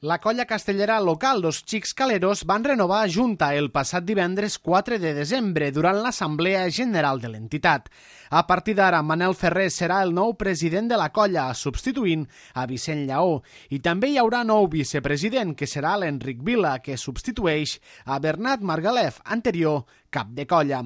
La colla castellera local Los Xics Caleros van renovar junta el passat divendres 4 de desembre durant l'Assemblea General de l'entitat. A partir d'ara, Manel Ferrer serà el nou president de la colla, substituint a Vicent Lleó. I també hi haurà nou vicepresident, que serà l'Enric Vila, que substitueix a Bernat Margalef, anterior cap de colla.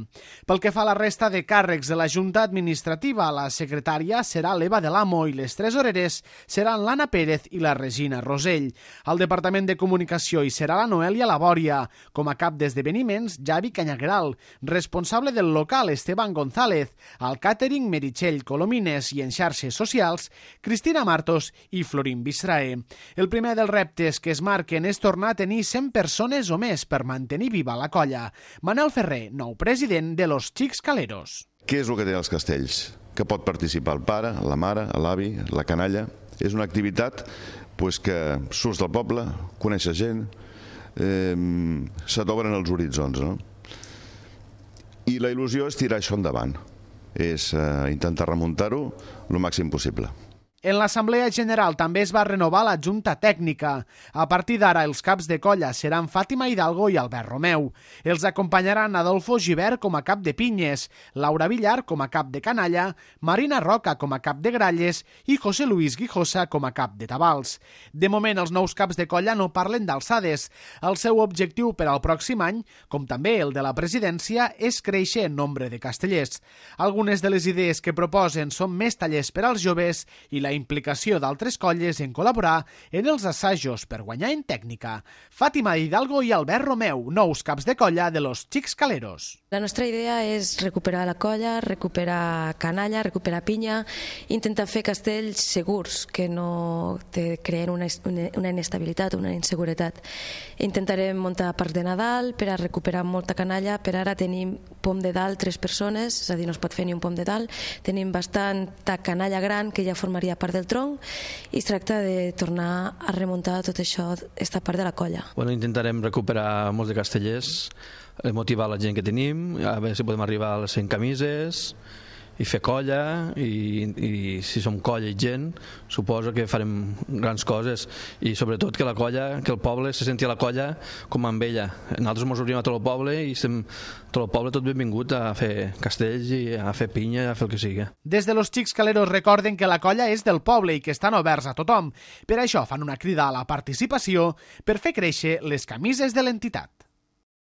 Pel que fa a la resta de càrrecs de la Junta Administrativa, la secretària serà l'Eva de l'Amo i les tresoreres seran l'Anna Pérez i la Regina Rosell. Al Departament de Comunicació hi serà la Noelia Labòria. Com a cap d'esdeveniments, Javi Canyagueral. Responsable del local, Esteban González. Al càtering, Meritxell Colomines. I en xarxes socials, Cristina Martos i Florín Bistrae. El primer dels reptes que es marquen és tornar a tenir 100 persones o més per mantenir viva la colla. Manel Ferrer, nou president de Los Xics Caleros. Què és el que té els castells? Que pot participar el pare, la mare, l'avi, la canalla. És una activitat que surts del poble, coneixes gent, se t'obren els horitzons, no? I la il·lusió és tirar això endavant, és intentar remuntar-ho el màxim possible. En l'Assemblea General també es va renovar la Junta Tècnica. A partir d'ara, els caps de colla seran Fàtima Hidalgo i Albert Romeu. Els acompanyaran Adolfo Gibert com a cap de pinyes, Laura Villar com a cap de canalla, Marina Roca com a cap de gralles i José Luis Guijosa com a cap de tabals. De moment, els nous caps de colla no parlen d'alçades. El seu objectiu per al pròxim any, com també el de la presidència, és créixer en nombre de castellers. Algunes de les idees que proposen són més tallers per als joves i la implicació d'altres colles en col·laborar en els assajos per guanyar en tècnica. Fàtima Hidalgo i Albert Romeu, nous caps de colla de Los Xics Caleros. La nostra idea és recuperar la colla, recuperar canalla, recuperar pinya, intentar fer castells segurs, que no te creen una inestabilitat, una inseguretat. Intentarem muntar parc de Nadal per a recuperar molta canalla. Per ara tenim pom de dalt 3 persones, és a dir, no es pot fer ni un pom de dalt. Tenim bastanta canalla gran que ja formaria part del tronc i es tracta de tornar a remuntar tot això, esta part de la colla. Intentarem recuperar molts de castellers, motivar la gent que tenim, a veure si podem arribar a les 100 camises i fer colla, i si som colla i gent suposo que farem grans coses, i sobretot que la colla, que el poble se senti a la colla com amb ella. Nosaltres ens obrim a tot el poble i estem tot el poble tot benvingut a fer castells i a fer pinya, a fer el que sigui. Des de Los Xics Caleros recorden que la colla és del poble i que estan oberts a tothom. Per això fan una crida a la participació per fer créixer les camises de l'entitat.